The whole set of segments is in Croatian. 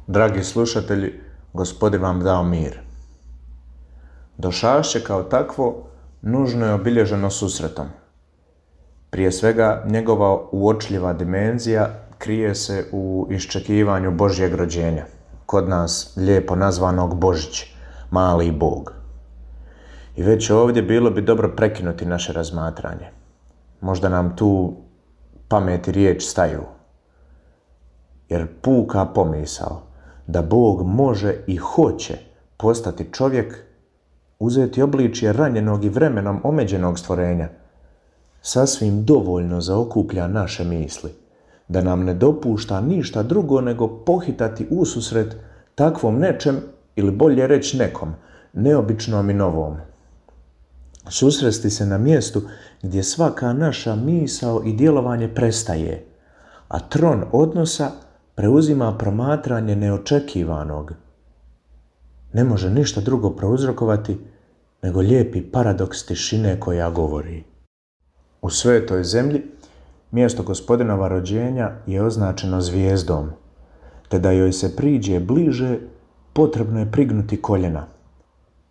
Dragi slušatelji, Gospodin vam dao mir. Došašće kao takvo nužno je obilježeno susretom. Prije svega, njegova uočljiva dimenzija krije se u iščekivanju Božjeg rođenja, kod nas lijepo nazvanog Božić, mali Bog. I već ovdje bilo bi dobro prekinuti naše razmatranje. Možda nam tu pamet i riječ staju. Jer puka pomisao da Bog može i hoće postati čovjek, uzeti obličje ranjenog i vremenom omeđenog stvorenja, sasvim dovoljno zaokuplja naše misli, da nam ne dopušta ništa drugo nego pohitati ususret takvom nečem, ili bolje reći nekom, neobičnom i novom. Susresti se na mjestu gdje svaka naša misao i djelovanje prestaje, a tron odnosa preuzima promatranje neočekivanog. Ne može ništa drugo prouzrokovati nego lijepi paradoks tišine koja govori. U svetoj zemlji mjesto Gospodinova rođenja je označeno zvijezdom, te da joj se priđe bliže potrebno je prignuti koljena.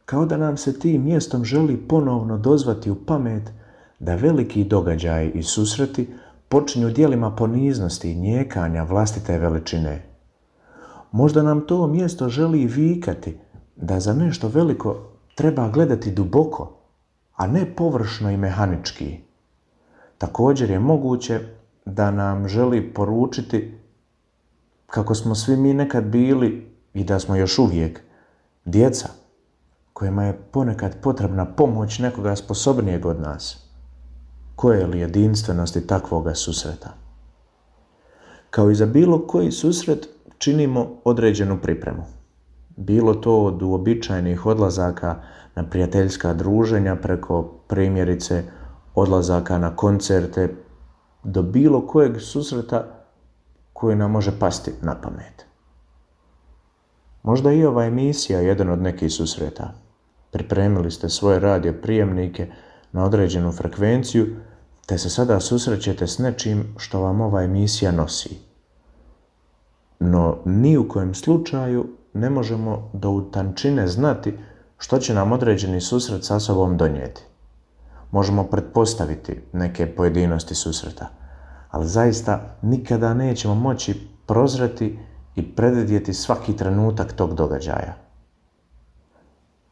Kao da nam se tim mjestom želi ponovno dozvati u pamet da veliki događaji i susreti počinju djelima poniznosti i njekanja vlastite veličine. Možda nam to mjesto želi vikati da za nešto veliko treba gledati duboko, a ne površno i mehanički. Također je moguće da nam želi poručiti kako smo svi mi nekad bili i da smo još uvijek djeca kojima je ponekad potrebna pomoć nekoga sposobnijeg od nas. Koje li jedinstvenosti takvoga susreta? Kao i za bilo koji susret činimo određenu pripremu. Bilo to od uobičajenih odlazaka na prijateljska druženja preko primjerice odlazaka na koncerte do bilo kojeg susreta koji nam može pasti na pamet. Možda i ova emisija je jedan od nekih susreta. Pripremili ste svoje radio prijemnike na određenu frekvenciju, te se sada susrećete s nečim što vam ova emisija nosi. No, ni u kojem slučaju ne možemo do u tančine znati što će nam određeni susret sa sobom donijeti. Možemo pretpostaviti neke pojedinosti susreta, ali zaista nikada nećemo moći prozreti i predvidjeti svaki trenutak tog događaja.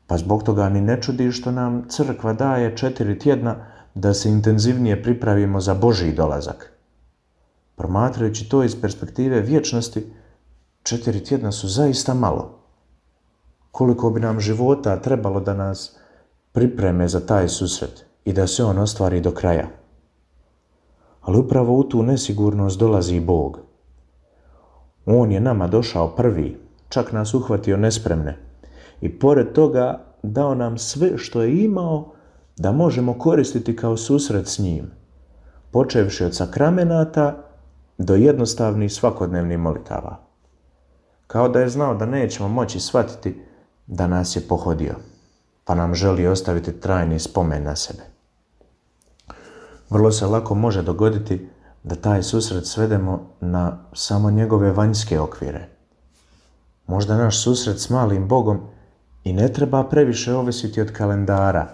Pa zbog toga ni ne čudi što nam crkva daje 4 tjedna da se intenzivnije pripravimo za Božji dolazak. Promatrajući to iz perspektive vječnosti, 4 tjedna su zaista malo. Koliko bi nam života trebalo da nas pripreme za taj susret i da se on ostvari do kraja. Ali upravo u tu nesigurnost dolazi Bog. On je nama došao prvi, čak nas uhvatio nespremne i pored toga dao nam sve što je imao da možemo koristiti kao susret s njim, počevši od sakramenata do jednostavnih svakodnevnih molitava. Kao da je znao da nećemo moći shvatiti da nas je pohodio, pa nam želi ostaviti trajni spomen na sebe. Vrlo se lako može dogoditi da taj susret svedemo na samo njegove vanjske okvire. Možda naš susret s malim Bogom i ne treba previše ovisiti od kalendara,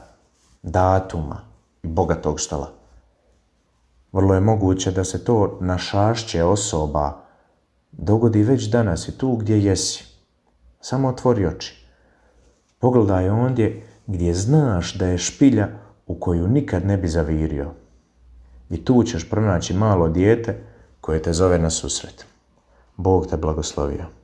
datuma i bogatog stola. Vrlo je moguće da se to našašće osoba dogodi već danas i tu gdje jesi. Samo otvori oči. Pogledaj ondje gdje znaš da je špilja u koju nikad ne bi zavirio. I tu ćeš pronaći malo dijete koje te zove na susret. Bog te blagoslovio.